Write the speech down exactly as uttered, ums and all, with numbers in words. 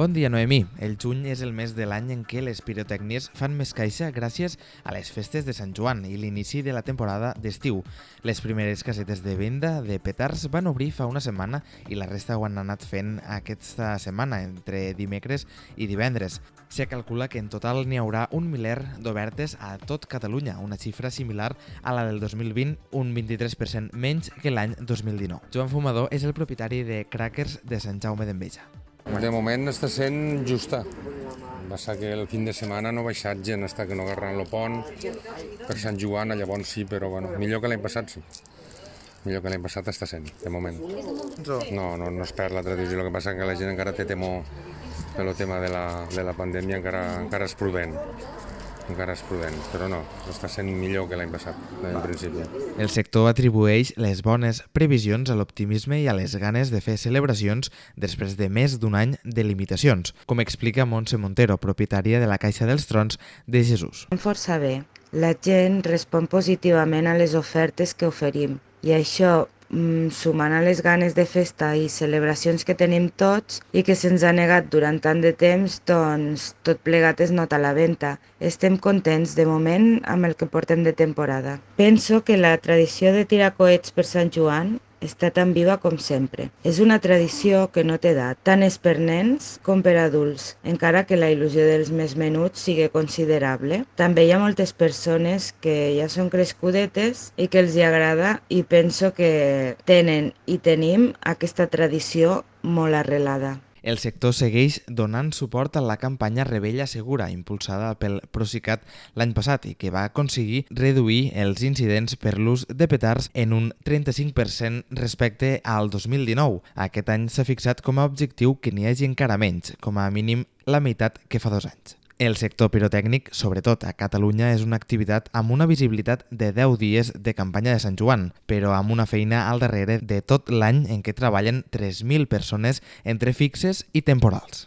Bon dia, Noemí. El juny és el mes de l'any en què les pirotècnies fan més caixa gràcies a les festes de Sant Joan i l'inici de la temporada d'estiu. Les primeres casetes de venda de petards van obrir fa una setmana i la resta ho han anat fent aquesta setmana, entre dimecres i divendres. Se calcula que en total n'hi haurà un miler d'obertes a tot Catalunya, una xifra similar a la del dos mil vint, un vint-i-tres per cent menys que l'any dos mil dinou. Joan Fumador és el propietari de Crackers de Sant Jaume d'Enveja. De moment està sent justa. Va ser que el fin de setmana no ha baixat gent, està que no agarran el pont per Sant Joan, llavors sí, però bueno, millor que l'any passat sí. Millor que l'any passat està sent, de moment. No, no, no es perd la tradició, el que passa que la gent encara té temor pel tema de la, de la pandèmia, encara, encara és prudent. encara és prudent, però no, està sent millor que l'any passat, en principi. El sector atribueix les bones previsions a l'optimisme i a les ganes de fer celebracions després de més d'un any de limitacions, com explica Montse Montero, propietària de la Caixa dels Trons de Jesús. Força bé. La gent respon positivament a les ofertes que oferim i això, sumant a les ganes de festa i celebracions que tenim tots i que se'ns ha negat durant tant de temps, doncs tot plegat es nota a la venda. Estem contents de moment amb el que portem de temporada. Penso que la tradició de tirar coets per Sant Joan està tan viva com sempre. És una tradició que no té edat, tant és per nens com per adults, encara que la il·lusió dels més menuts sigui considerable. També hi ha moltes persones que ja són crescudetes i que els hi agrada i penso que tenen i tenim aquesta tradició molt arrelada. El sector segueix donant suport a la campanya Rebella Segura, impulsada pel Procicat l'any passat i que va aconseguir reduir els incidents per l'ús de petards en un trenta-cinc per cent respecte al dos mil dinou. Aquest any s'ha fixat com a objectiu que n'hi hagi encara menys, com a mínim la meitat que fa dos anys. El sector pirotècnic, sobretot a Catalunya, és una activitat amb una visibilitat de deu dies de campanya de Sant Joan, però amb una feina al darrere de tot l'any en què treballen tres mil persones entre fixes i temporals.